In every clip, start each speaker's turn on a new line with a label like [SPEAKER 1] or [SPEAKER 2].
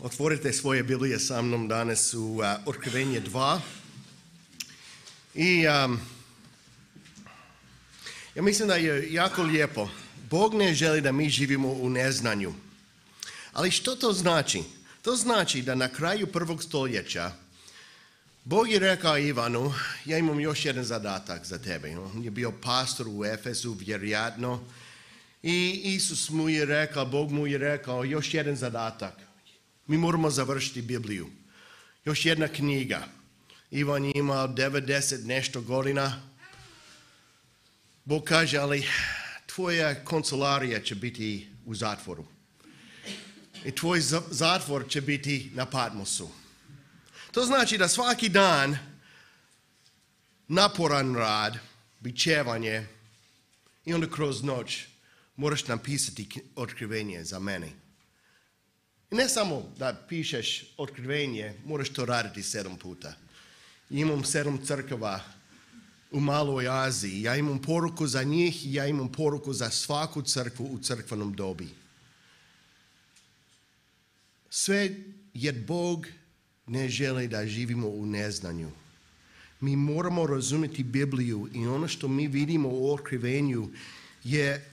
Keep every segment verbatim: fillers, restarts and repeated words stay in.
[SPEAKER 1] Otvorite svoje Biblije sa mnom danas u uh, Otkrivenje dva. I um, ja mislim da je jako lijepo. Bog ne želi da mi živimo u neznanju. Ali što to znači? To znači da na kraju prvog stoljeća Bog je rekao Ivanu, ja imam još jedan zadatak za tebe. On je bio pastor u Efesu, vjerojatno. I Isus mu je rekao, Bog mu je rekao, još jedan zadatak. Mi moramo završiti Bibliju. Još jedna knjiga. Ivan je imao devedeset nešto godina. Bog kaže, ali tvoja kancelarija će biti u zatvoru. I tvoj zatvor će biti na Patmosu. To znači da svaki dan naporan rad, bičevanje i onda kroz noć moraš napisati otkrivenje za mene. I ne samo da pišeš otkrivenje, moraš to raditi sedam puta. Imam sedam crkava u Maloj Aziji. Ja imam poruku za njih i ja imam poruku za svaku crkvu u crkvenom dobi. Sve jer Bog ne želi da živimo u neznanju. Mi moramo razumjeti Bibliju i ono što mi vidimo u otkrivenju je,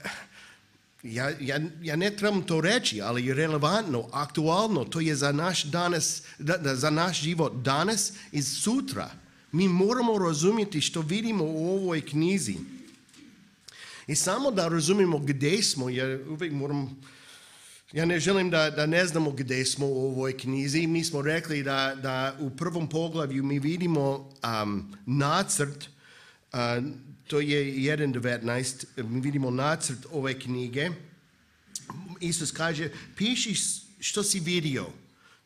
[SPEAKER 1] ja, ja, ja ne trebam to reći, ali je relevantno, aktualno, to je za naš, danas, da, da, za naš život danas i sutra. Mi moramo razumjeti što vidimo u ovoj knjizi. I samo da razumijemo gdje smo, jer uvijek moram... Ja ne želim da, da ne znamo gdje smo u ovoj knjizi. Mi smo rekli da, da u prvom poglavlju mi vidimo um, nacrt, uh, to je jedan devetnaest, mi vidimo nacrt ove knjige. Isus kaže, piši što si vidio.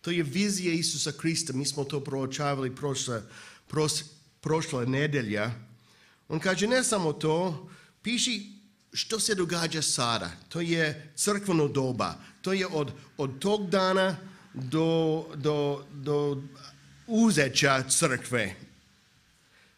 [SPEAKER 1] To je vizija Isusa Krista. Mi smo to proučavali prošle, pros, prošle nedelja. On kaže, ne samo to, piši što se događa sada. To je crkveno doba. To je od, od tog dana do, do, do uzeća crkve.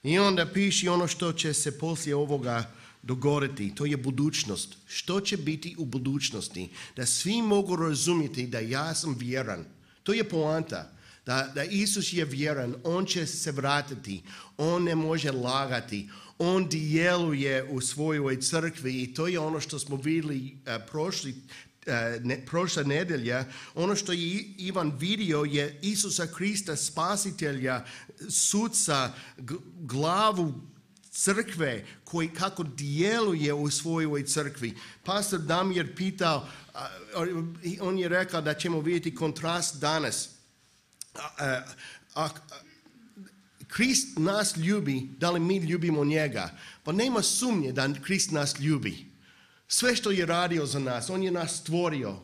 [SPEAKER 1] I onda piši ono što će se poslije ovoga dogoditi. To je budućnost. Što će biti u budućnosti? Da svi mogu razumjeti da ja sam vjeran. To je poanta. Da, da Isus je vjeran. On će se vratiti. On ne može lagati. On djeluje u svojoj crkvi i to je ono što smo vidjeli uh, prošli, uh, ne, prošla nedelja. Ono što je Ivan vidio je Isusa Krista, spasitelja, suca, glavu crkve koji kako djeluje u svojoj crkvi. Pastor Damir pitao, uh, on je rekao da ćemo vidjeti kontrast danas. Uh, uh, uh, Krist nas ljubi, da li mi ljubimo njega? Pa nema sumnje da Krist nas ljubi. Sve što je radio za nas, on je nas stvorio.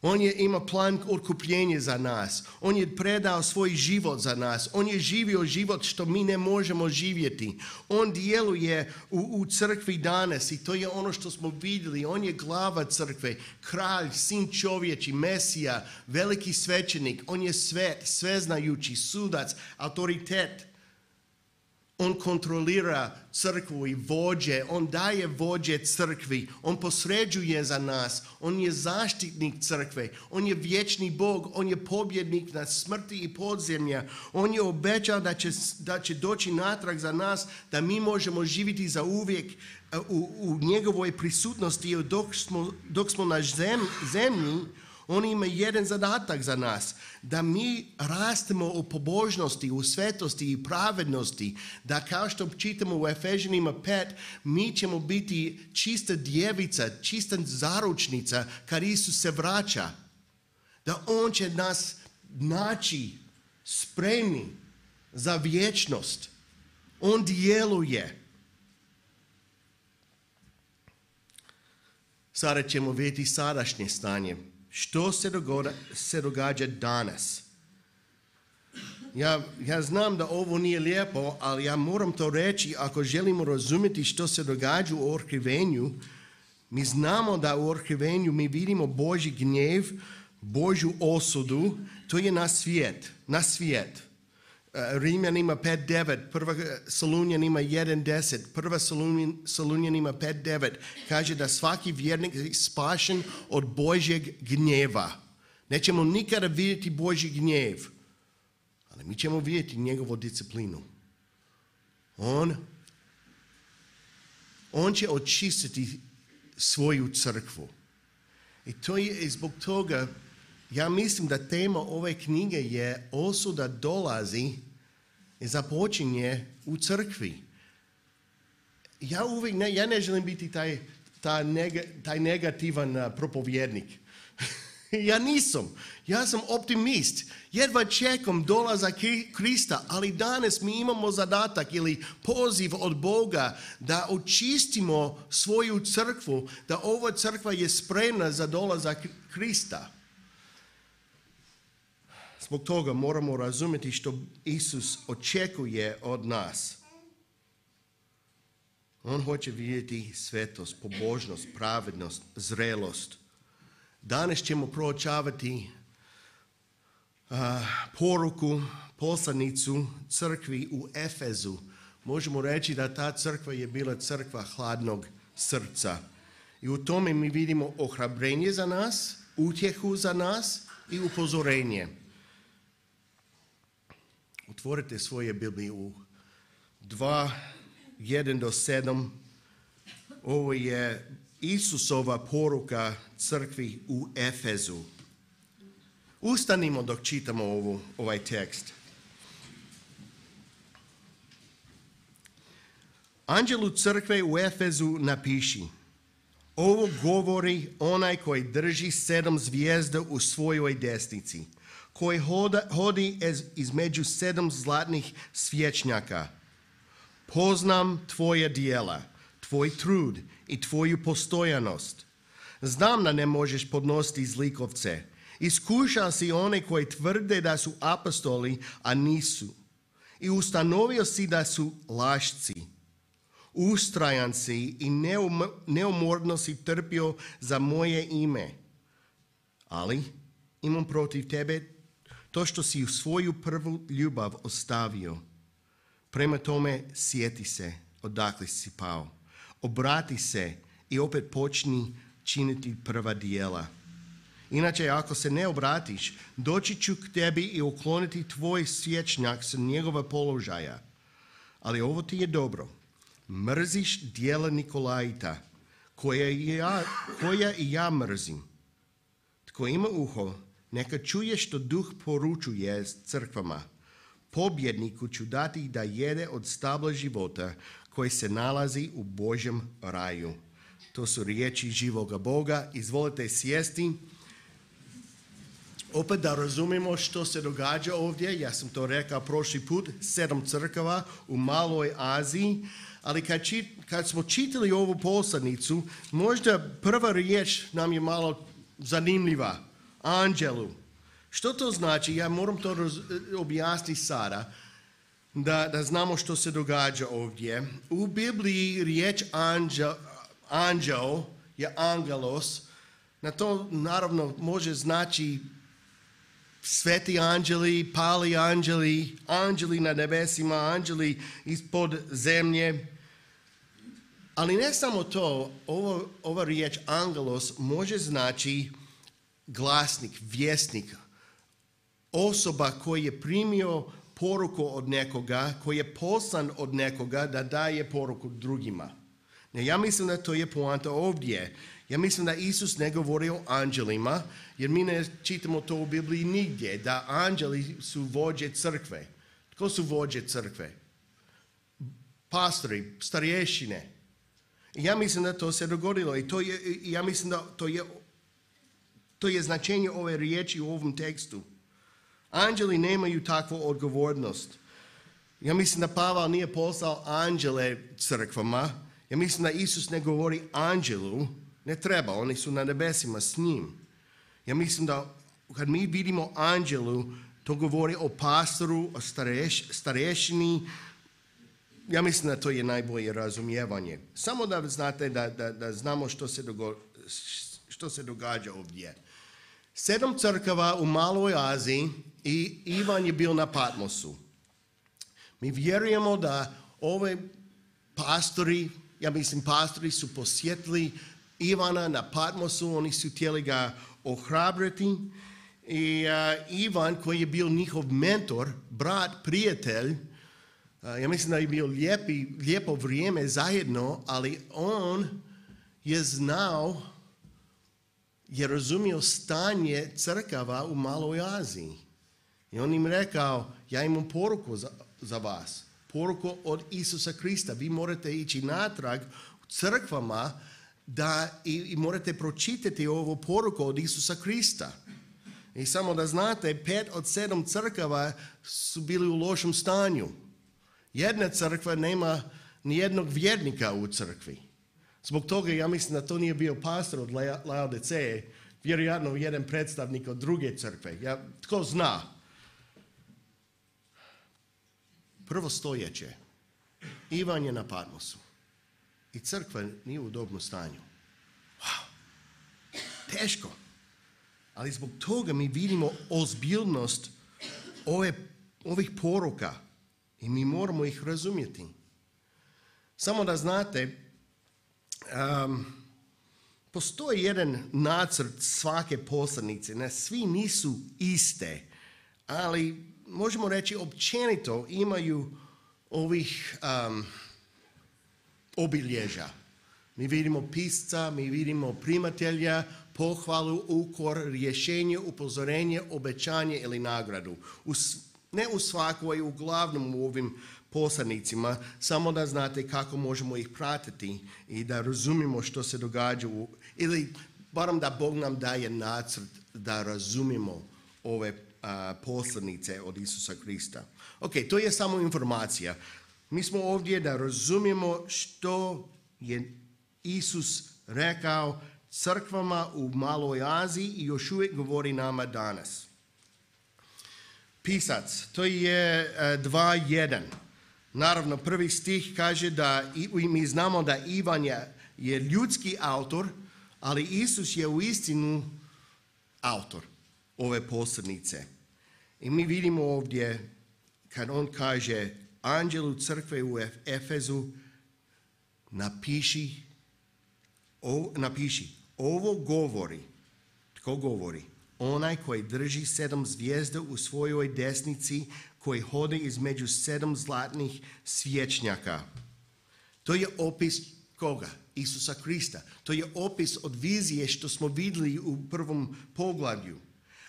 [SPEAKER 1] On je ima plan otkupljenja za nas. On je predao svoj život za nas. On je živio život što mi ne možemo živjeti. On djeluje u, u crkvi danas i to je ono što smo vidjeli. On je glava crkve, kralj, sin čovječi, Mesija, veliki svećenik. On je svet, sveznajući, sudac, autoritet. On kontrolira crkvu i vođe, on daje vođe crkvi, on posređuje za nas, on je zaštitnik crkve, on je vječni Bog, on je pobjednik nad smrti i podzemlja, on je obećao da će, da će doći natrag za nas, da mi možemo živjeti za uvijek u, u njegovoj prisutnosti dok smo, dok smo na zem, zemlji. On ima jedan zadatak za nas, da mi rastemo u pobožnosti, u svetosti i pravednosti, da kao što čitamo u Efežanima pet, mi ćemo biti čista djevica, čista zaručnica kad Isus se vraća, da on će nas naći spremni za vječnost. On djeluje. Sada ćemo vidjeti sadašnje stanje. Što se događa, se događa danas? Ja, ja znam da ovo nije lijepo, ali ja moram to reći. Ako želimo razumjeti što se događa u otkrivenju, mi znamo da u otkrivenju mi vidimo Božji gnjev, Božju osudu. To je na svijet. Na svijet. Rimljanima pet devet, prva Solunjanima jedan deset, prva Solunjanima pet devet kaže da svaki vjernik je spašen od Božjeg gnjeva. Nećemo nikada vidjeti Božji gnjev, ali mi ćemo vidjeti njegovu disciplinu. On, on će očistiti svoju crkvu. I to je zbog toga, ja mislim da tema ove knjige je osuda dolazi i započinje u crkvi. Ja uvijek ne, ja ne želim biti taj, taj, neg, taj negativan uh, propovjednik. Ja nisam. Ja sam optimist. Jedva čekam dolazak Krista, ali danas mi imamo zadatak ili poziv od Boga da očistimo svoju crkvu, da ova crkva je spremna za dolazak Krista. Zbog toga moramo razumjeti što Isus očekuje od nas. On hoće vidjeti svetost, pobožnost, pravednost, zrelost. Danas ćemo proučavati uh, poruku, poslanicu crkvi u Efezu. Možemo reći da ta crkva je bila crkva hladnog srca. I u tome mi vidimo ohrabrenje za nas, utjehu za nas i upozorenje. Otvorite svoje Biblije u dva, jedan do sedam. Ovo je Isusova poruka crkvi u Efezu. Ustanimo dok čitamo ovu, ovaj tekst. Anđelu crkve u Efezu napiši: ovo govori onaj koji drži sedam zvijezda u svojoj desnici, koji hoda, hodi između sedam zlatnih svječnjaka. Poznam tvoje djela, tvoj trud i tvoju postojanost. Znam da ne možeš podnositi zlikovce. Iskušao si one koji tvrde da su apostoli, a nisu. I ustanovio si da su lašci. Ustrajan si i neum, neumorno si trpio za moje ime. Ali imam protiv tebe to što si u svoju prvu ljubav ostavio. Prema tome sjeti se odakle si pao. Obrati se i opet počni činiti prva djela. Inače, ako se ne obratiš, doći ću k tebi i ukloniti tvoj svječnjak sa njegova položaja. Ali ovo ti je dobro. Mrziš djela Nikolajta, koja i ja, koja i ja mrzim. Tko ima uho, neka čuje što duh poručuje crkvama. Pobjedniku ću dati da jede od stabla života koji se nalazi u Božjem raju. To su riječi živoga Boga. Izvolite sjesti. Opet da razumijemo što se događa ovdje. Ja sam to rekao prošli put. Sedam crkava u Maloj Aziji. Ali kad, čit, kad smo čitali ovu poslanicu, možda prva riječ nam je malo zanimljiva. Anđelu. Što to znači? Ja moram to roz, objasniti sada, da, da znamo što se događa ovdje. U Bibliji riječ anđel, anđel je angelos. Na to naravno može znači sveti anđeli, pali anđeli, anđeli na nebesima, anđeli ispod zemlje. Ali ne samo to, ovo, ova riječ angelos može znači glasnik, vjesnik, osoba koji je primio poruku od nekoga, koji je poslan od nekoga da daje poruku drugima. Ne, ja mislim da to je poanta ovdje. Ja mislim da Isus ne govori o anđelima, jer mi ne čitamo to u Bibliji nigdje, da anđeli su vođe crkve. Tko su vođe crkve? Pastori, starješine. Ja mislim da to se dogodilo i to je, ja mislim da to je, to je značenje ove riječi u ovom tekstu. Anđeli nemaju takvu odgovornost. Ja mislim da Pavel nije poslao anđele crkvama. Ja mislim da Isus ne govori anđelu. Ne treba, oni su na nebesima s njim. Ja mislim da kad mi vidimo anđelu, to govori o pastoru, o stareš, starešini. Ja mislim da to je najbolje razumijevanje. Samo da znate da, da, da znamo što se, dogo, što se događa ovdje. Sedam crkava u Maloj Aziji i Ivan je bio na Patmosu. Mi vjerujemo da ove pastori, ja mislim pastori su posjetili Ivana na Patmosu, oni su htjeli ga ohrabriti I uh, Ivan, koji je bio njihov mentor, brat, prijatelj, uh, ja mislim da je bio lijepi, lijepo vrijeme zajedno, ali on je znao, je razumio stanje crkava u Maloj Aziji. I on im rekao, ja imam poruku za, za vas. Poruku od Isusa Krista. Vi morate ići natrag u crkvama da i, i morate pročitati ovu poruku od Isusa Krista. I samo da znate, pet od sedam crkava su bili u lošem stanju. Jedna crkva nema ni jednog vjernika u crkvi. Zbog toga ja mislim da to nije bio pastor od Laodiceje, vjerojatno jedan predstavnik od druge crkve. Ja, tko zna? Prvo stoljeće. Ivan je na Patmosu. I crkva nije u dobrom stanju. Wow. Teško. Ali zbog toga mi vidimo ozbiljnost ove, ovih poruka. I mi moramo ih razumjeti. Samo da znate, um, postoji jedan nacrt svake poslanice. Ne, svi nisu iste, ali možemo reći općenito imaju ovih um, obilježja. Mi vidimo pisca, mi vidimo primatelja, pohvalu, ukor, rješenje, upozorenje, obećanje ili nagradu. U, ne u svakoj, uglavnom u ovim poslanicima, samo da znate kako možemo ih pratiti i da razumimo što se događa u, ili barem da Bog nam daje nacrt da razumimo ove a, poslanice od Isusa Krista. Ok, to je samo informacija. Mi smo ovdje da razumijemo što je Isus rekao crkvama u Maloj Aziji i još uvijek govori nama danas. Pisac, to je dva jedan. Naravno, prvi stih kaže da i mi znamo da Ivan je, je ljudski autor, ali Isus je u istinu autor ove poslanice. I mi vidimo ovdje kad on kaže anđelu crkve u Efezu, napiši, o, napiši, ovo govori, tko govori? Onaj koji drži sedam zvijezda u svojoj desnici, koji hodi između sedam zlatnih svječnjaka. To je opis koga? Isusa Krista. To je opis od vizije što smo vidjeli u prvom poglavlju.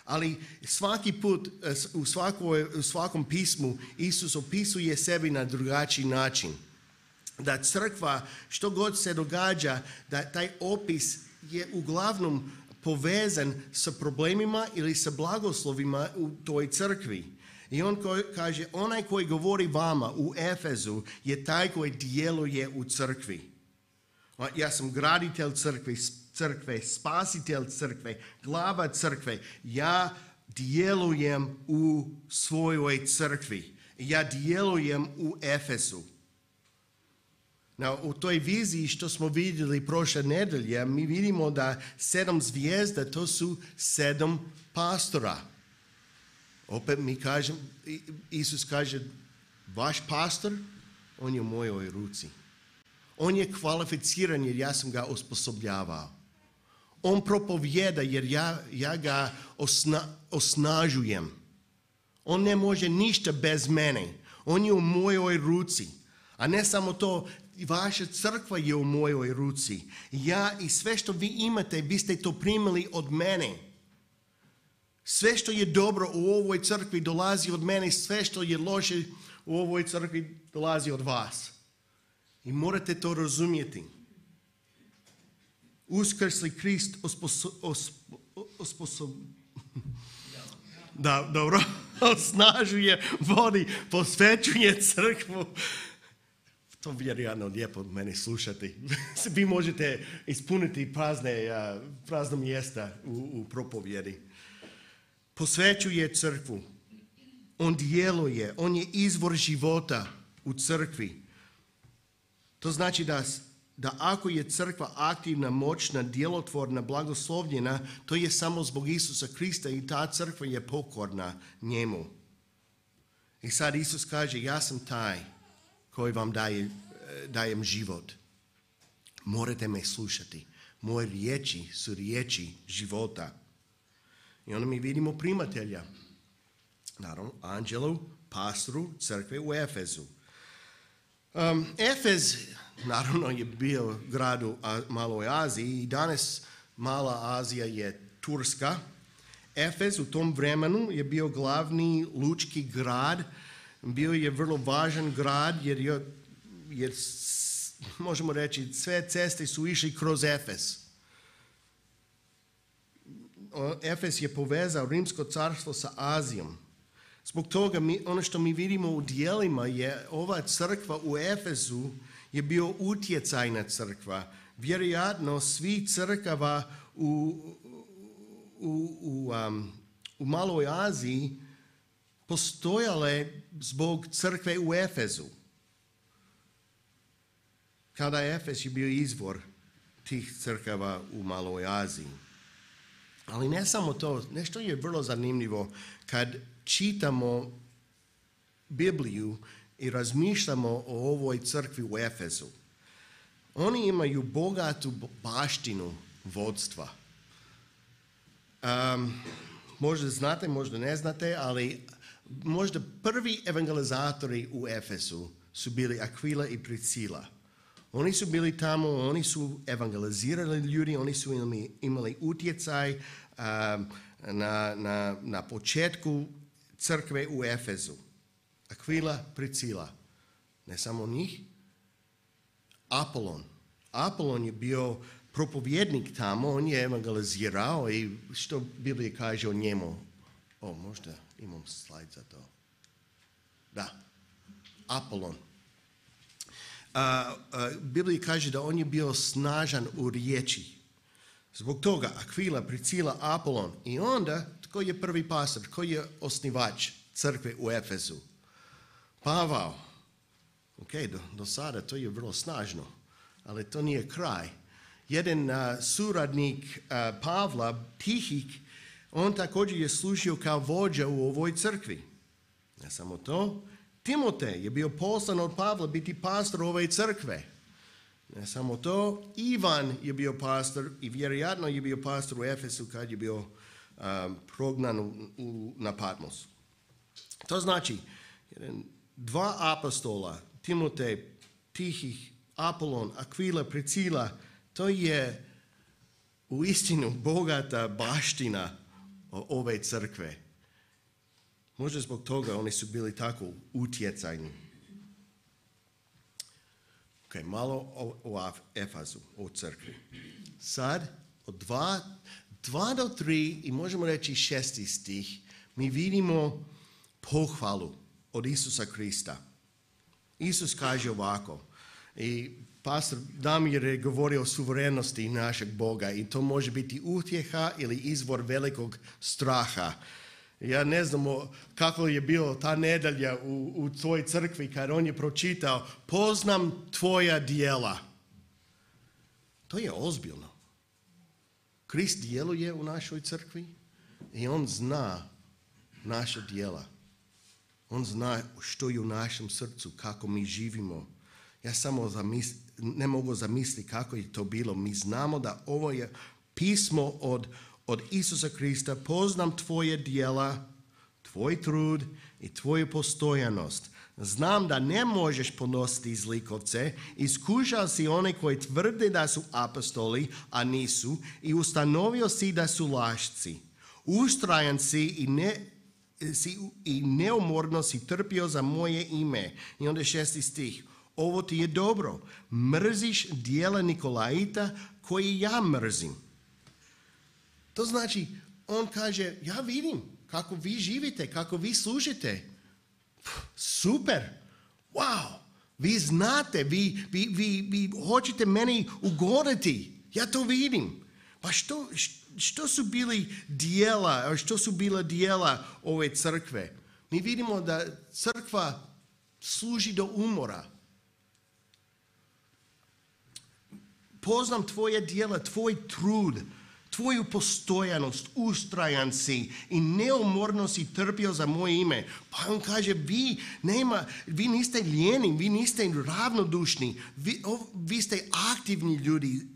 [SPEAKER 1] Ali svaki put, u, svakoj, u svakom pismu, Isus opisuje sebi na drugačiji način. Da crkva, što god se događa, da taj opis je uglavnom povezan sa problemima ili sa blagoslovima u toj crkvi. I on kaže, onaj koji govori vama u Efezu je taj koji djeluje u crkvi. Ja sam graditelj crkve, crkve, spasitelj crkve, glava crkve. Ja djelujem u svojoj crkvi. Ja djelujem u Efezu. Now, u toj viziji što smo vidjeli prošle nedelje, mi vidimo da sedam zvijezda, to su sedam pastora. Opet mi kažem, Isus kaže, vaš pastor, on je u mojoj ruci. On je kvalificiran jer ja sam ga osposobljavao. On propovjeda jer ja, ja ga osna, osnažujem. On ne može ništa bez mene. On je u mojoj ruci. A ne samo to, vaša crkva je u mojoj ruci. Ja i sve što vi imate, vi ste to primili od mene. Sve što je dobro u ovoj crkvi dolazi od mene, sve što je loše u ovoj crkvi dolazi od vas. I morate to razumjeti. Uskrsli Krist osposob... osposob da, dobro. Osnažuje, vodi, posvećuje crkvu. To vjerojatno lijepo mene slušati. Vi možete ispuniti prazne, prazna mjesta u, u propovjedi. Posvećuje crkvu. On djeluje. On je izvor života u crkvi. To znači da, da ako je crkva aktivna, moćna, djelotvorna, blagoslovljena, to je samo zbog Isusa Krista i ta crkva je pokorna njemu. I sad Isus kaže, ja sam taj koji vam daje, dajem život. Morate me slušati. Moje riječi su riječi života. I onda mi vidimo primatelja. Naravno, anđelu, pastoru crkve u Efezu. Um, Efez, naravno, je bio grad u Maloj Aziji i danas Mala Azija je Turska. Efez u tom vremenu je bio glavni lučki grad. Bio je vrlo važan grad jer, je, jer možemo reći sve ceste su išli kroz Efez. Efez je povezao Rimsko carstvo sa Azijom. Zbog toga mi, ono što mi vidimo u dijelima je ova crkva u Efezu je bio utjecajna crkva. Vjerojatno svi crkava u, u, u, um, u Maloj Aziji postojale zbog crkve u Efezu. Kada Efez je bio izvor tih crkava u Maloj Aziji. Ali ne samo to, nešto je vrlo zanimljivo kad čitamo Bibliju i razmišljamo o ovoj crkvi u Efezu. Oni imaju bogatu baštinu vodstva. Um, možda znate, možda ne znate, ali možda prvi evangelizatori u Efezu su bili Aquila i Priscila. Oni su bili tamo, oni su evangelizirali ljudi, oni su imali, imali utjecaj um, na, na, na početku crkve u Efezu. Aquila, Priscila. Ne samo njih. Apolon. Apolon je bio propovjednik tamo, on je evangelizirao i što Biblija kaže o njemu? O, možda imam slajd za to. Da. Apolon. Uh, uh, Biblija kaže da on je bio snažan u riječi. Zbog toga Aquila, Priscila, Apolon. I onda, tko je prvi pastor? Tko je osnivač crkve u Efezu? Pavao. Ok, do, do sada to je vrlo snažno, ali to nije kraj. Jedan uh, suradnik uh, Pavla, Tihik, on također je služio kao vođa u ovoj crkvi. Ne samo to, Timotej je bio poslan od Pavla biti pastor ove crkve. Ne samo to, Ivan je bio pastor i vjerojatno je bio pastor u Efesu kad je bio um, prognan u, u, na Patmosu. To znači, jedan, dva apostola, Timotej, Tihih, Apolon, Aquila, Priscila, to je uistinu bogata baština ove crkve. Možda zbog toga oni su bili tako utjecajni. Ok, malo o, o Efezu, o crkvi. Sad, od dva, dva do tri i možemo reći šesti stih, mi vidimo pohvalu od Isusa Krista. Isus kaže ovako, i pastor Damir je govorio o suverenosti našeg Boga i to može biti utjeha ili izvor velikog straha. Ja ne znam kako je bilo ta nedjelja u, u tvojoj crkvi kad on je pročitao poznam tvoja djela. To je ozbiljno. Krist djeluje u našoj crkvi i on zna naša djela. On zna što je u našem srcu, kako mi živimo. Ja samo zamisli, ne mogu zamisliti kako je to bilo. Mi znamo da ovo je pismo od, od Isusa Krista. Poznam tvoje djela, tvoj trud i tvoju postojanost. Znam da ne možeš ponositi zlikovce. Iskušao si one koji tvrde da su apostoli, a nisu, i ustanovio si da su lašci. Ustrajan si i ne... Si, i neumorno si trpio za moje ime. I onda šesti stih. Ovo ti je dobro. Mrziš djela Nikolaita koji ja mrzim. To znači, on kaže, ja vidim kako vi živite, kako vi služite. Super. Wow. Vi znate, vi, vi, vi, vi hoćete meni ugoditi. Ja to vidim. Pa što, što su bili dijela, što su bila dijela ove crkve? Mi vidimo da crkva služi do umora. Poznam tvoje dijela, tvoj trud, tvoju postojanost, ustrajan si i neumorno si trpio za moje ime. Pa on kaže, vi, nema, vi niste lijeni, vi niste ravnodušni, vi, o, vi ste aktivni ljudi.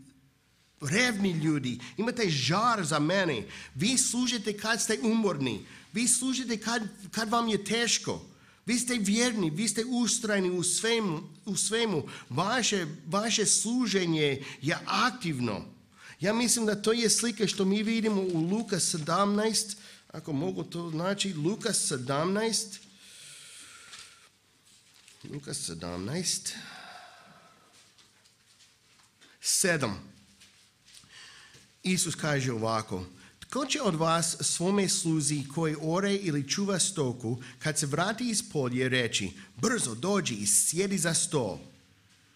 [SPEAKER 1] revni ljudi, imate žar za mene. Vi služite kad ste umorni, vi služite kad, kad vam je teško. Vi ste vjerni, vi ste ustrajni u svemu. U svemu. Vaše, vaše služenje je aktivno. Ja mislim da to je slika što mi vidimo u Luka sedamnaest, ako mogu to znači, Luka sedamnaest, Luka sedamnaest, sedam. Isus kaže ovako: tko će od vas svome sluzi koji ore ili čuva stoku, kad se vrati iz polja reći, brzo dođi i sjedi za stol?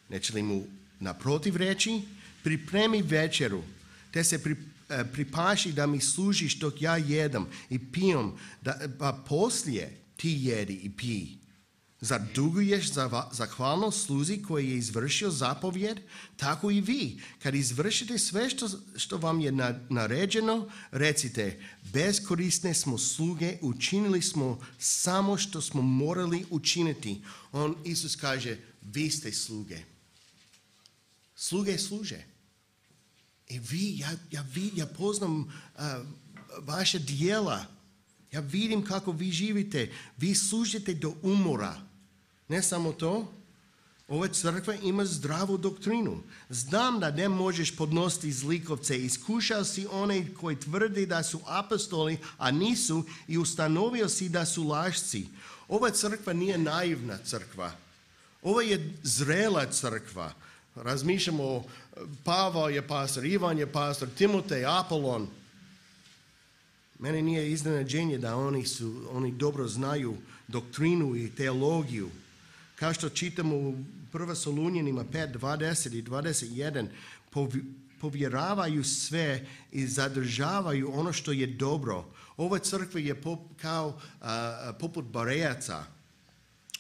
[SPEAKER 1] Neće li mu naprotiv reći, pripremi večeru, te se pri, eh, pripaši da mi služiš dok ja jedam i pijem, da, pa poslije ti jedi i pij. Zar duguješ za zahvalnost sluzi koji je izvršio zapovjed? Tako i vi, kad izvršite sve što, što vam je naređeno, recite, beskorisne smo sluge, učinili smo samo što smo morali učiniti. On, Isus kaže, vi ste sluge. Sluge služe. I vi, ja, ja, ja poznam uh, vaše dijela. Ja vidim kako vi živite. Vi služite do umora. Ne samo to, ova crkva ima zdravu doktrinu. Znam da ne možeš podnositi zlikovce. Iskušao si one koji tvrdi da su apostoli, a nisu, i ustanovio si da su lašci. Ova crkva nije naivna crkva. Ova je zrela crkva. Razmišljamo, Pavao je pastor, Ivan je pastor, Timotej, Apolon. Meni nije iznenađenje da oni, su, oni dobro znaju doktrinu i teologiju. Kao što čitamo u prva Solunjanima pet, dvadeset i dvadeset jedan, povjeravaju sve i zadržavaju ono što je dobro. Ova crkva je pop, kao a, poput Berejaca.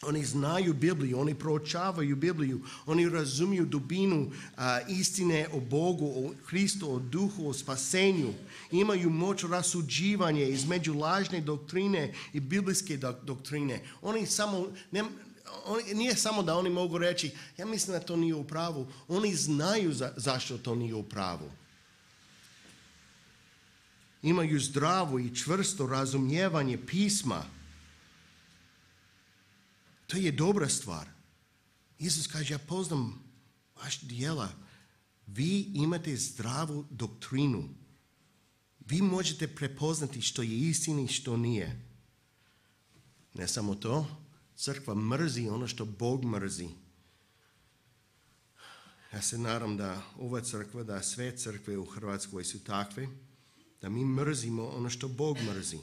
[SPEAKER 1] Oni znaju Bibliju, oni proučavaju Bibliju, oni razumiju dubinu a, istine o Bogu, o Hristu, o duhu, o spasenju. Imaju moć rasuđivanja između lažne doktrine i biblijske doktrine. Oni samo, ne, oni, nije samo da oni mogu reći, ja mislim da to nije u pravu. Oni znaju za, zašto to nije u pravu. Imaju zdravo i čvrsto razumijevanje pisma. To je dobra stvar. Isus kaže, ja poznam vaš djela. Vi imate zdravu doktrinu. Vi možete prepoznati što je istina i što nije. Ne samo to, crkva mrzi ono što Bog mrzi. Ja se nadam da ova crkva, da sve crkve u Hrvatskoj su takve, da mi mrzimo ono što Bog mrzi.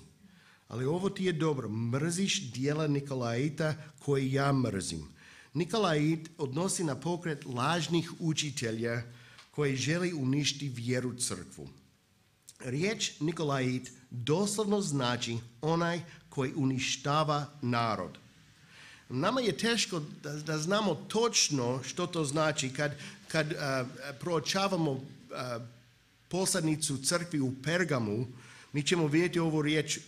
[SPEAKER 1] Ali ovo ti je dobro. Mrziš djela Nikolaita koje ja mrzim. Nikolait odnosi na pokret lažnih učitelja koji želi uništiti vjeru crkvu. Riječ Nikolait doslovno znači onaj koji uništava narod. Nama je teško da, da znamo točno što to znači kad, kad uh, proučavamo uh, poslanicu crkvi u Pergamu. Mi ćemo vidjeti ovu riječ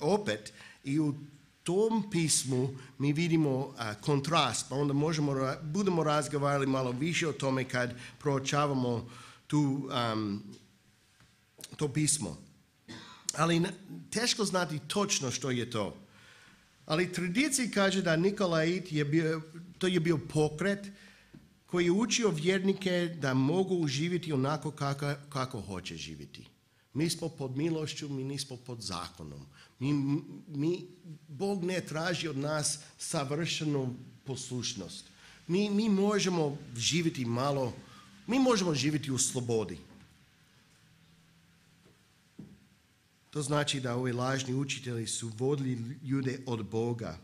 [SPEAKER 1] opet i u tom pismu mi vidimo uh, kontrast, pa onda možemo, budemo razgovarali malo više o tome kad proučavamo tu, um, to pismo. Ali teško znati točno što je to. Ali tradicija kaže da Nikolait je bio, to je bio pokret koji je učio vjernike da mogu živjeti onako kako, kako hoće živjeti. Mi smo pod milošću, mi nismo pod zakonom. Mi, mi, Bog ne traži od nas savršenu poslušnost. Mi, mi možemo živjeti malo, mi možemo živjeti u slobodi. To znači da ovi lažni učitelji su vodili ljude od Boga.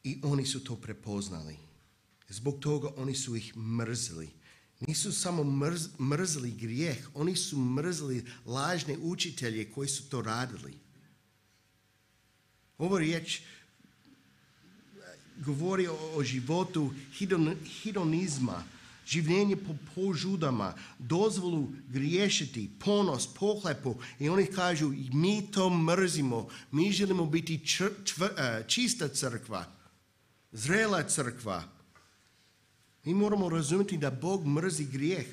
[SPEAKER 1] I oni su to prepoznali. Zbog toga oni su ih mrzili. Nisu samo mrz, mrzili grijeh, oni su mrzili lažne učitelje koji su to radili. Ovo riječ govori o, o životu hidon, hidonizma, življenje po požudama, dozvolu griješiti, ponos, pohlepu. I oni kažu, mi to mrzimo, mi želimo biti čr, čvr, čista crkva, zrela crkva. Mi moramo razumjeti da Bog mrzi grijeh.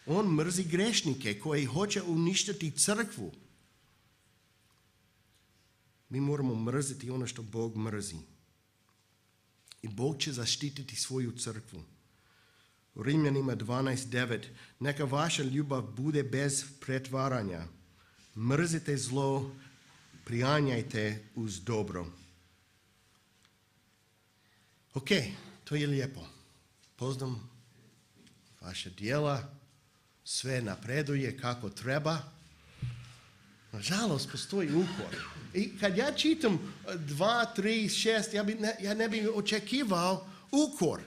[SPEAKER 1] On mrzi grešnike koji hoće uništiti crkvu. Mi moramo mrziti ono što Bog mrzi. I Bog će zaštititi svoju crkvu. U Rimljanima dvanaest devet. Neka vaša ljubav bude bez pretvaranja. Mrzite zlo, prijanjajte uz dobro. Ok, to je lijepo. Poznam vaše djela, sve napreduje kako treba. Nažalost, postoji ukor. I kad ja čitam dva, tri, šest, ja, bi ne, ja ne bih očekivao ukor.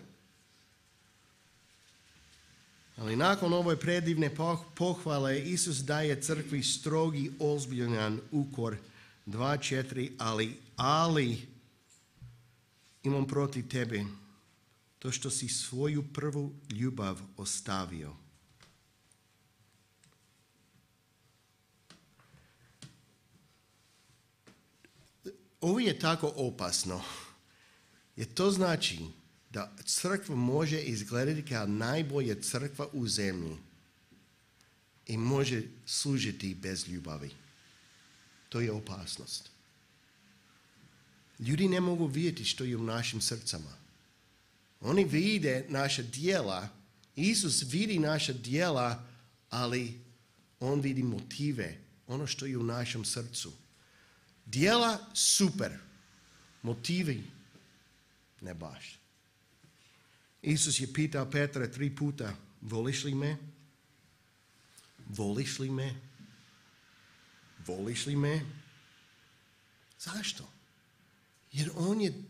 [SPEAKER 1] Ali nakon ove predivne pohvale, Isus daje crkvi strogi, ozbiljan ukor. Dva, četiri, ali, ali, imam protiv tebe to što si svoju prvu ljubav ostavio. Ovo je tako opasno, jer to znači da crkva može izgledati kao najbolja crkva u zemlji i može služiti bez ljubavi. To je opasnost. Ljudi ne mogu vidjeti što je u našim srcama. Oni vide naša djela, Isus vidi naša djela, ali on vidi motive, ono što je u našem srcu. Djela super, motivi ne baš. Isus je pitao Petra tri puta, voliš li me? Voliš li me? Voliš li me? Zašto? Jer on je,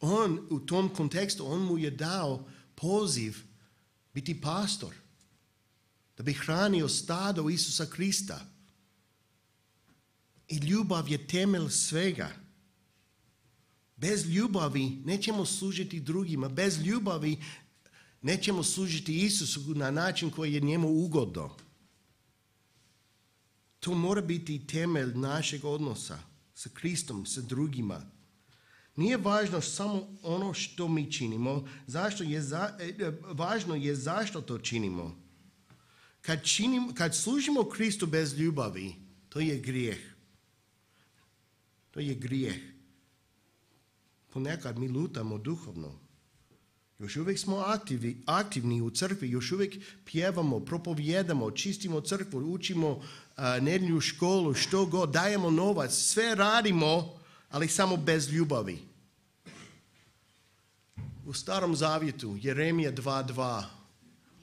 [SPEAKER 1] on u tom kontekstu, on mu je dao poziv biti pastor, da bi hranio stado Isusa Krista. I ljubav je temelj svega. Bez ljubavi nećemo služiti drugima. Bez ljubavi nećemo služiti Isusu na način koji je njemu ugodno. To mora biti temelj našeg odnosa sa Kristom, sa drugima. Nije važno samo ono što mi činimo, zašto je za, važno je zašto to činimo. Kad, činim, kad služimo Kristu bez ljubavi, to je grijeh. To je grijeh. Ponekad mi lutamo duhovno. Još uvijek smo aktivni, aktivni u crkvi, još uvijek pjevamo, propovjedamo, čistimo crkvu, učimo uh, nedjelju školu, što god, dajemo novac, sve radimo, ali samo bez ljubavi. U Starom Zavjetu, Jeremija dva dva,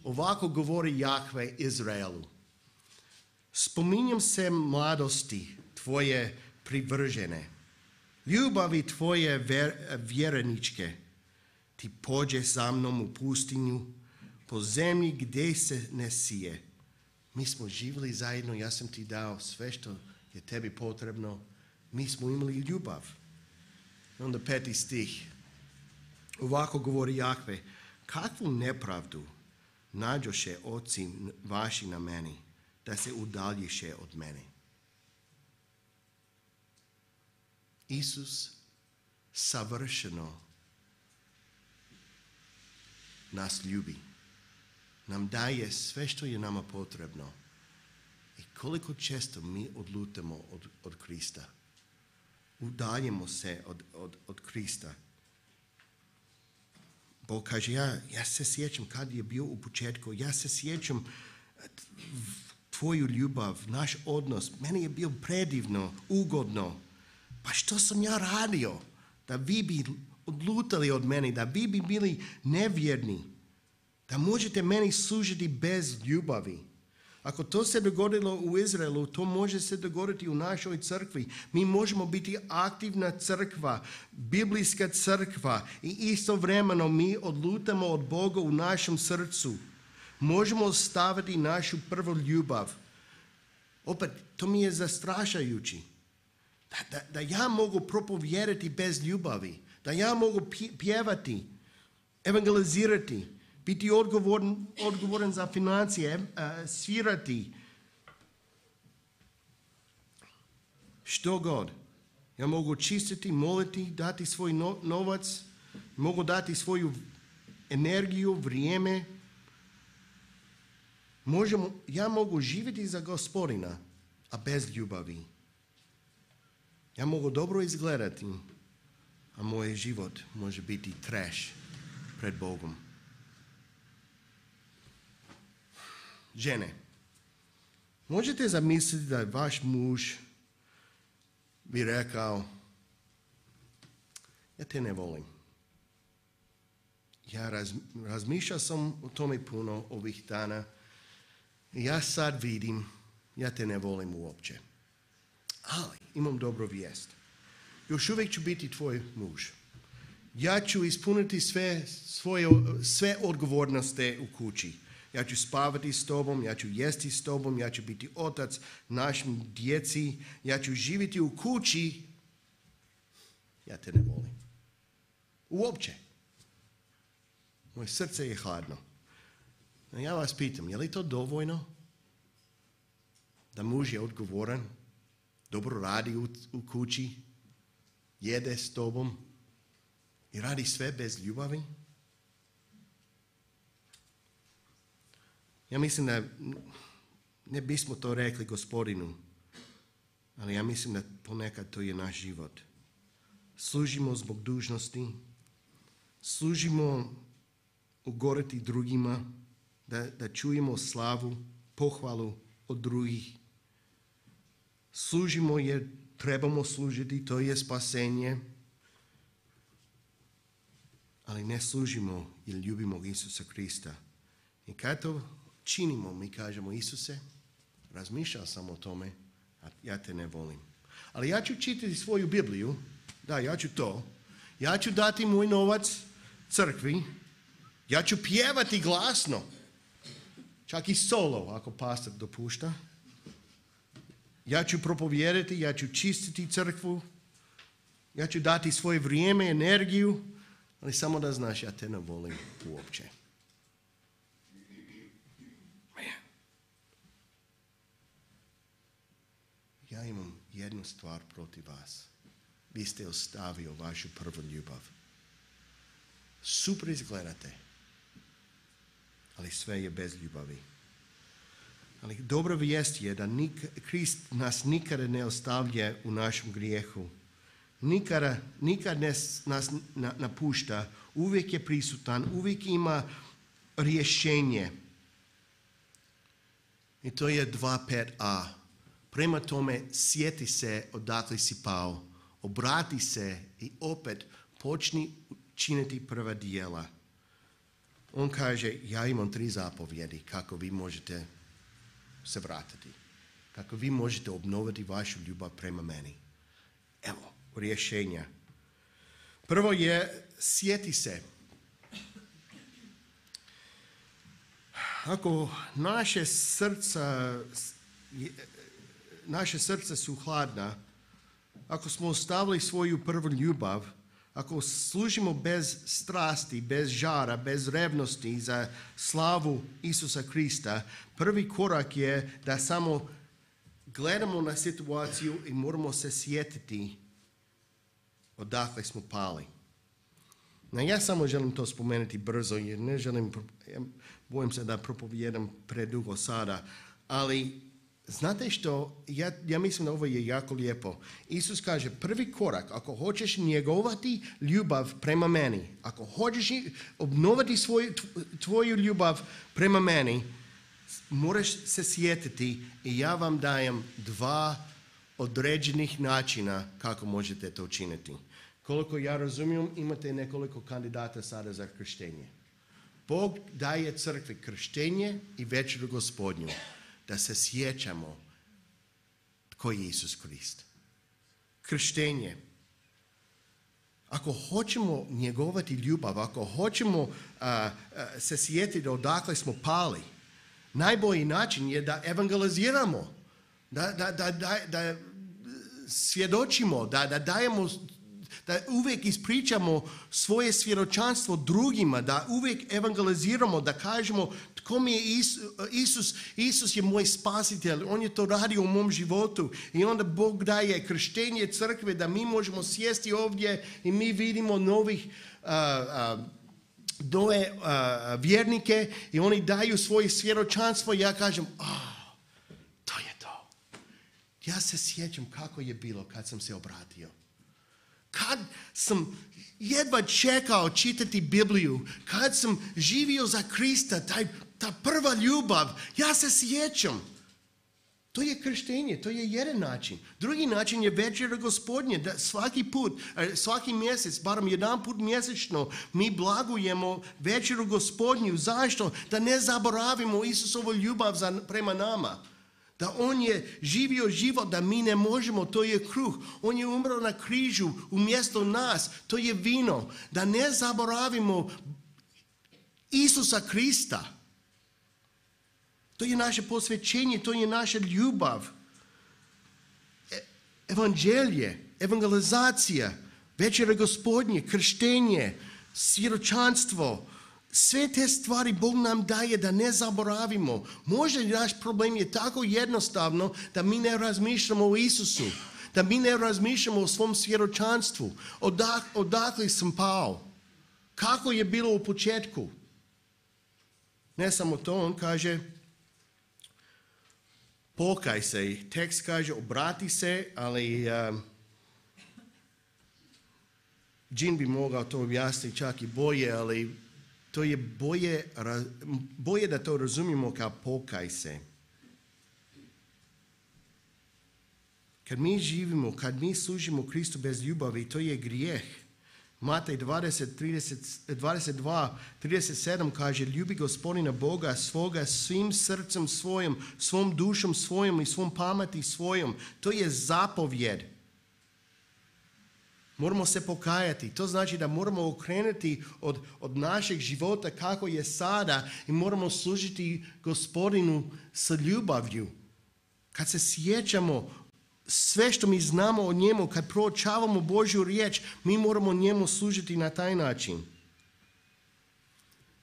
[SPEAKER 1] ovako govori Jahve Izraelu. Spominjem se mladosti tvoje privržene, ljubavi tvoje ver, vjereničke, ti pođe sa mnom u pustinju, po zemlji gdje se ne sije. Mi smo živjeli zajedno, ja sam ti dao sve što je tebi potrebno, mi smo imali ljubav. Onda peti stih, ovako govori Jahve, kakvu nepravdu nađoše oci vaši na meni, da se udaljiše od mene. Isus savršeno nas ljubi. Nam daje sve što je nama potrebno. I koliko često mi odlutamo od, od Krista. Udaljimo se od, od, od Krista. Bog kaže, ja, ja se sjećam kad je bio u početku. Ja se sjećam tvoju ljubav, naš odnos. Meni je bio predivno, ugodno. Pa što sam ja radio? Da vi bi odlutali od mene, da vi bi bili nevjerni. Da možete meni služiti bez ljubavi. Ako to se dogodilo u Izraelu, to može se dogoditi u našoj crkvi. Mi možemo biti aktivna crkva, biblijska crkva i istovremeno mi odlutamo od Boga u našem srcu. Možemo ostaviti našu prvu ljubav. Opet, to mi je zastrašajući. Da, da, da ja mogu propovijedati bez ljubavi. Da ja mogu pjevati, evangelizirati, biti odgovoran, odgovoran za financije, uh, svirati. Što god. Ja mogu čistiti, moliti, dati svoj no, novac, mogu dati svoju energiju, vrijeme. Možemo, ja mogu živjeti za Gospodina, a bez ljubavi. Ja mogu dobro izgledati, a moj život može biti trash pred Bogom. Žene, možete zamisliti da vaš muž bi rekao, ja te ne volim. Ja raz, razmišljao sam o tome puno ovih dana i ja sad vidim, ja te ne volim uopće. Ali imam dobru vijest. Još uvijek ću biti tvoj muž. Ja ću ispuniti sve, svoje, sve odgovornosti u kući. Ja ću spavati s tobom, ja ću jesti s tobom, ja ću biti otac našim djeci, ja ću živjeti u kući. Ja te ne volim. Uopće. Moje srce je hladno. Ja vas pitam, je li to dovoljno? Da muž je odgovoran, dobro radi u, u kući, jede s tobom i radi sve bez ljubavi? Ja mislim da ne bismo to rekli Gospodinu, ali ja mislim da ponekad to je naš život. Služimo zbog dužnosti, služimo ugoriti drugima, da, da čujemo slavu, pohvalu od drugih. Služimo jer trebamo služiti, to je spasenje. Ali ne služimo jer ljubimo Isusa Krista. I kad to činimo, mi kažemo, Isuse, razmišljao sam o tome, a ja te ne volim. Ali ja ću čitati svoju Bibliju, da, ja ću to. Ja ću dati moj novac crkvi, ja ću pjevati glasno, čak i solo, ako pastor dopušta. Ja ću propovijedati, ja ću čistiti crkvu, ja ću dati svoje vrijeme, energiju, ali samo da znaš, ja te ne volim uopće. Ja imam jednu stvar protiv vas. Vi ste ostavio vašu prvu ljubav. Super izgledate, ali sve je bez ljubavi. Ali dobra vijest je da nik, Krist nas nikada ne ostavlja u našem grijehu. Nikada, nikad nas, nas napušta. Uvijek je prisutan, uvijek ima rješenje. I to je dva pet a. Prema tome, sjeti se odakle si pao. Obrati se i opet počni činiti prva djela. On kaže, ja imam tri zapovjedi kako vi možete se vratiti. Kako vi možete obnoviti vašu ljubav prema meni. Evo, rješenja. Prvo je, sjeti se. Ako naše srca, naše srca su hladna, ako smo ostavili svoju prvu ljubav, ako služimo bez strasti, bez žara, bez revnosti za slavu Isusa Krista, prvi korak je da samo gledamo na situaciju i moramo se sjetiti odakle smo pali. No, ja samo želim to spomenuti brzo jer ne želim, bojim se da propovijedam predugo sada, ali znate što, ja, ja mislim da ovo je jako lijepo. Isus kaže, prvi korak, ako hoćeš njegovati ljubav prema meni, ako hoćeš obnoviti svoju, tvoju ljubav prema meni, moraš se sjetiti i ja vam dajem dva određenih načina kako možete to učiniti. Koliko ja razumijem, imate nekoliko kandidata sada za krštenje. Bog daje crkvi krštenje i večeru Gospodnju. Da se sjećamo tko je Isus Krist. Krštenje. Ako hoćemo njegovati ljubav, ako hoćemo uh, uh, se sjetiti odakle smo pali, najbolji način je da evangeliziramo, da, da, da, da, da svjedočimo, da, da dajemo, da uvijek ispričamo svoje svjedočanstvo drugima, da uvijek evangeliziramo, da kažemo tko mi je Isus, Isus, Isus je moj spasitelj, on je to radio u mom životu i onda Bog daje krštenje crkve da mi možemo sjesti ovdje i mi vidimo novih uh, uh, doje uh, vjernike i oni daju svoje svjedočanstvo i ja kažem, oh, to je to. Ja se sjećam kako je bilo kad sam se obratio. Kad sam jedva čekao čitati Bibliju, kad sam živio za Krista, taj, ta prva ljubav, ja se sjećam. To je krštenje, to je jedan način. Drugi način je večera Gospodnje, da svaki put, svaki mjesec, barem jedan put mjesečno, mi blagujemo večeru Gospodnju. Zašto? Da ne zaboravimo Isusovu ljubav za, prema nama. Da on je živio život, da mi ne možemo, to je kruh. On je umro na križu umjesto nas, to je vino. Da ne zaboravimo Isusa Krista. To je naše posvećenje, to je naša ljubav. Evanđelje, evangelizacija, večera Gospodnje, krštenje, svjedočanstvo, sve te stvari Bog nam daje da ne zaboravimo. Možda naš problem je tako jednostavno da mi ne razmišljamo o Isusu, da mi ne razmišljamo o svom svjedočanstvu. Odak, odakle sam pao? Kako je bilo u početku? Ne samo to, on kaže, pokaj se. Tekst kaže, obrati se, ali um, Džin bi mogao to objasniti čak i bolje, ali to je bolje, bolje da to razumijemo kao pokaj se. Kad mi živimo, kad mi služimo Kristu bez ljubavi, to je grijeh. Matej dvadeset, trideset, dvadeset dva, trideset sedam kaže, ljubi Gospodina Boga svoga svim srcem svojim, svom dušom svojom i svom pameti svojom. To je zapovjed. Moramo se pokajati. To znači da moramo okrenuti od, od našeg života kako je sada i moramo služiti Gospodinu sa ljubavlju. Kad se sjećamo sve što mi znamo o njemu, kad proučavamo Božju riječ, mi moramo njemu služiti na taj način.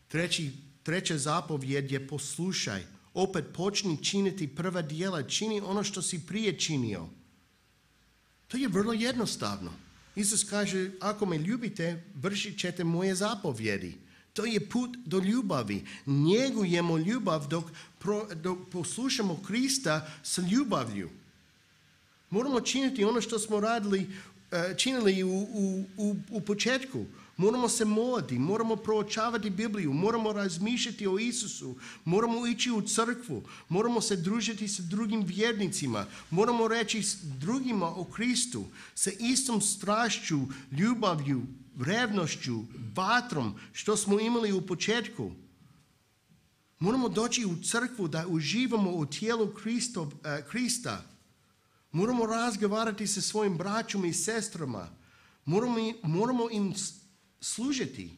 [SPEAKER 1] Treći, treća zapovjed je poslušaj. Opet počni činiti prva djela. Čini ono što si prije činio. To je vrlo jednostavno. Isus kaže, ako me ljubite, vršit ćete moje zapovjedi. To je put do ljubavi. Njegujemo ljubav dok, pro, dok poslušamo Krista sa ljubavlju. Moramo činiti ono što smo radili, činili u, u, u, u početku. Moramo se moliti, moramo proučavati Bibliju, moramo razmišljati o Isusu, moramo ići u crkvu, moramo se družiti sa drugim vjernicima, moramo reći drugima o Kristu sa istom strašću, ljubavlju, revnošću, vatrom što smo imali u početku. Moramo doći u crkvu da uživamo u tijelu Kristov, uh, Krista. Moramo razgovarati sa svojim braćom i sestrama. Moramo, moramo im služiti.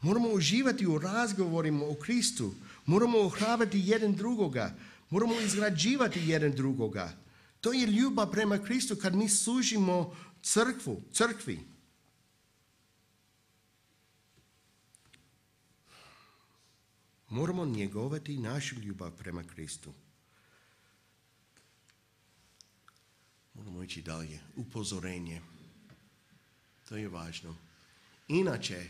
[SPEAKER 1] Moramo uživati u razgovorima o Kristu. Moramo ohrabriti jedan drugoga. Moramo izgrađivati jedan drugoga. To je ljubav prema Kristu kad mi služimo crkvu, crkvi. Moramo njegovati našu ljubav prema Kristu. Moramo ići dalje. Upozorenje. To je važno. Inače,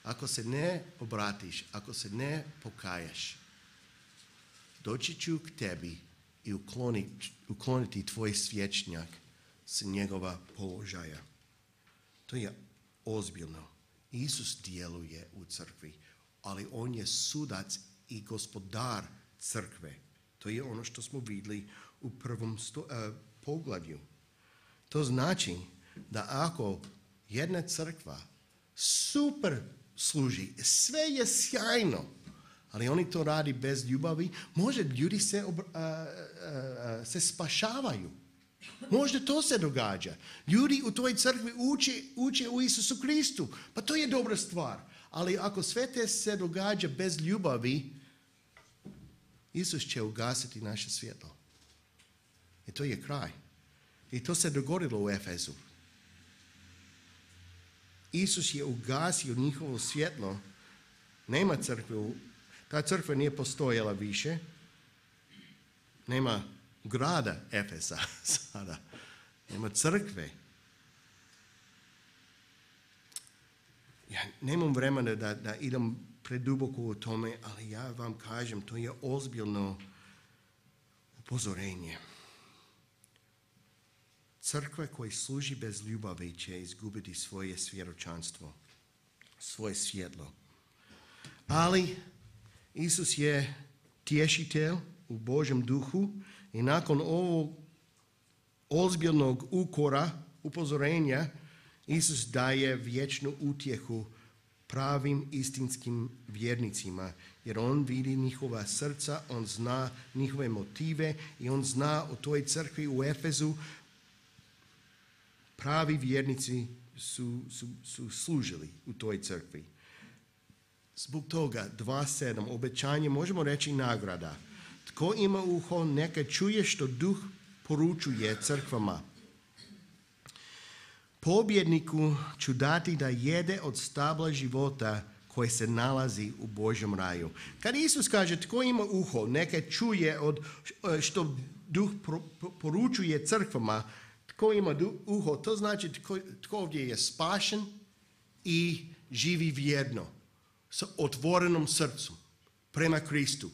[SPEAKER 1] ako se ne obratiš, ako se ne pokajaš, doći ću k tebi i ukloniti, ukloniti tvoj svječnjak s njegova položaja. To je ozbiljno. Isus djeluje u crkvi, ali on je sudac i gospodar crkve. To je ono što smo vidjeli u prvom sto, uh, poglavlju. To znači da ako jedna crkva super služi, sve je sjajno, ali oni to radi bez ljubavi, možda ljudi se, uh, uh, uh, se spašavaju. Možda to se događa. Ljudi u toj crkvi uče, uče u Isusu Kristu. Pa to je dobra stvar. Ali ako sve te se događa bez ljubavi, Isus će ugasiti naše svjetlo. I to je kraj. I to se dogodilo u Efezu. Isus je ugasio njihovo svjetlo. Nema crkve. Ta crkva nije postojala više. Nema grada Efesa sada. Nema crkve. Ja nemam vremena da, da idem preduboko u tome, ali ja vam kažem, to je ozbiljno upozorenje. Crkva koja služi bez ljubavi će izgubiti svoje svjedočanstvo, svoje svjetlo. Ali Isus je tješitelj u Božjem duhu i nakon ovog ozbiljnog ukora, upozorenja, Isus daje vječnu utjehu pravim istinskim vjernicima, jer on vidi njihova srca, on zna njihove motive i on zna u toj crkvi u Efezu pravi vjernici su, su, su služili u toj crkvi. Zbog toga dva sedam obećanje, možemo reći nagrada. Tko ima uho, neka čuje što duh poručuje crkvama. Pobjedniku ću dati da jede od stabla života koji se nalazi u Božjem raju. Kad Isus kaže tko ima uho, neka čuje od što duh poručuje crkvama, tko ima uho, to znači tko, tko ovdje je spašen i živi vjerno, sa otvorenom srcem prema Kristu.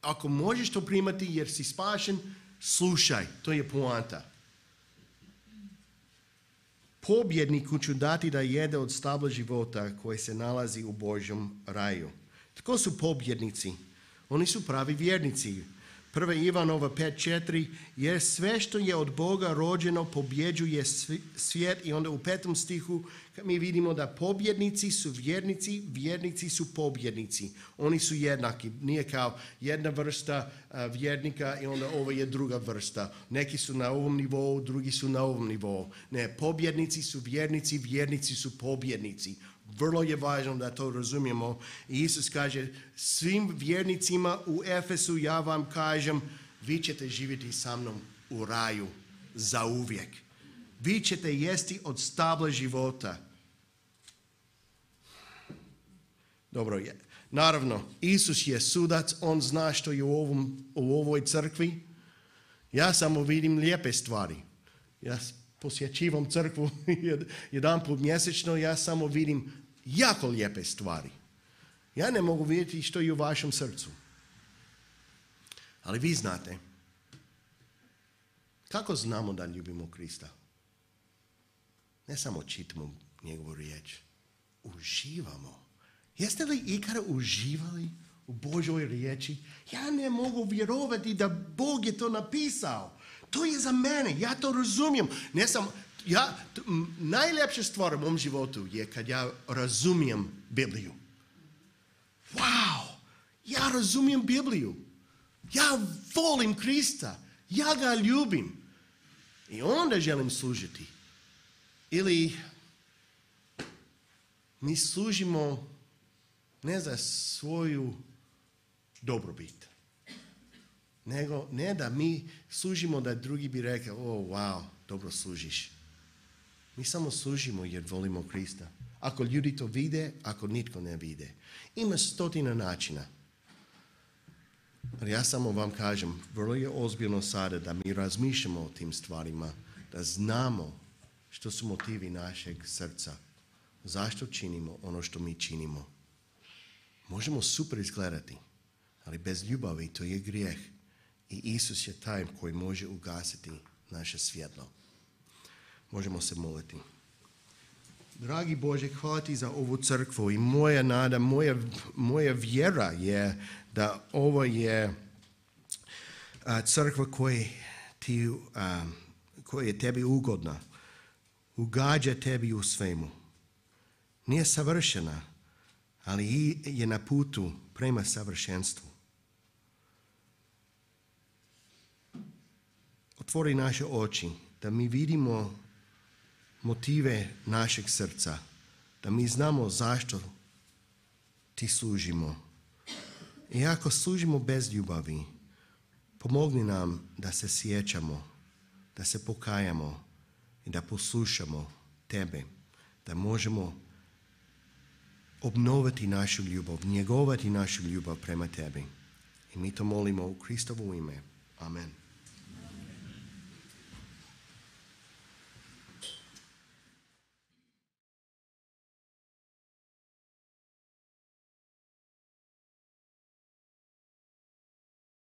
[SPEAKER 1] Ako možeš to primati jer si spašen, slušaj, to je poanta. Pobjedniku ću dati da jede od stabla života koji se nalazi u Božjem raju. Tko su pobjednici? Oni su pravi vjernici. Prva Ivanova pet četiri, jer sve što je od Boga rođeno pobjeđuje svijet. I onda u petom stihu mi vidimo da pobjednici su vjernici, vjernici su pobjednici. Oni su jednaki. Nije kao jedna vrsta uh, vjernika i onda ovo je druga vrsta. Neki su na ovom nivou, drugi su na ovom nivou. Ne, pobjednici su vjernici, vjernici su pobjednici. Vrlo je važno da to razumijemo. I Isus kaže svim vjernicima u Efesu ja vam kažem, vi ćete živjeti sa mnom u raju zauvijek. Vi ćete jesti od stabla života. Dobro je. Naravno, Isus je sudac, on zna što je u, ovom, u ovoj crkvi. Ja samo vidim lijepe stvari. Ja posjećivam crkvu jedan put mjesečno, ja samo vidim jako lijepe stvari. Ja ne mogu vidjeti što je u vašem srcu. Ali vi znate. Kako znamo da ljubimo Krista? Ne samo čitamo njegovu riječ. Uživamo. Jeste li ikada uživali u Božoj riječi? Ja ne mogu vjerovati da Bog je to napisao. To je za mene, ja to razumijem. Ne samo, ja, t- m, najljepša stvar u mom životu je kad ja razumijem Bibliju. Wow, ja razumijem Bibliju. Ja volim Krista, ja ga ljubim. I onda želim služiti. Ili mi služimo ne za svoju dobrobit. Nego ne da mi služimo da drugi bi rekao, o wow, dobro služiš. Mi samo služimo jer volimo Krista. Ako ljudi to vide, ako nitko ne vide. Ima stotina načina. Ali ja samo vam kažem, vrlo je ozbiljno sada da mi razmišljamo o tim stvarima, da znamo što su motivi našeg srca. Zašto činimo ono što mi činimo. Možemo super izgledati, ali bez ljubavi to je grijeh. I Isus je taj koji može ugasiti naše svjetlo. Možemo se moliti. Dragi Bože, hvala ti za ovu crkvu i moja nada, moja, moja vjera je da ovo je a, crkva koja ti, a, koja je tebi ugodna. Ugađa tebi u svemu. Nije savršena, ali je na putu prema savršenstvu. Otvori naše oči da mi vidimo motive našeg srca, da mi znamo zašto ti služimo. I ako služimo bez ljubavi, pomogni nam da se sjećamo, da se pokajamo i da poslušamo tebe, da možemo obnoviti našu ljubav, njegovati našu ljubav prema tebi. I mi to molimo u Kristovo ime. Amen.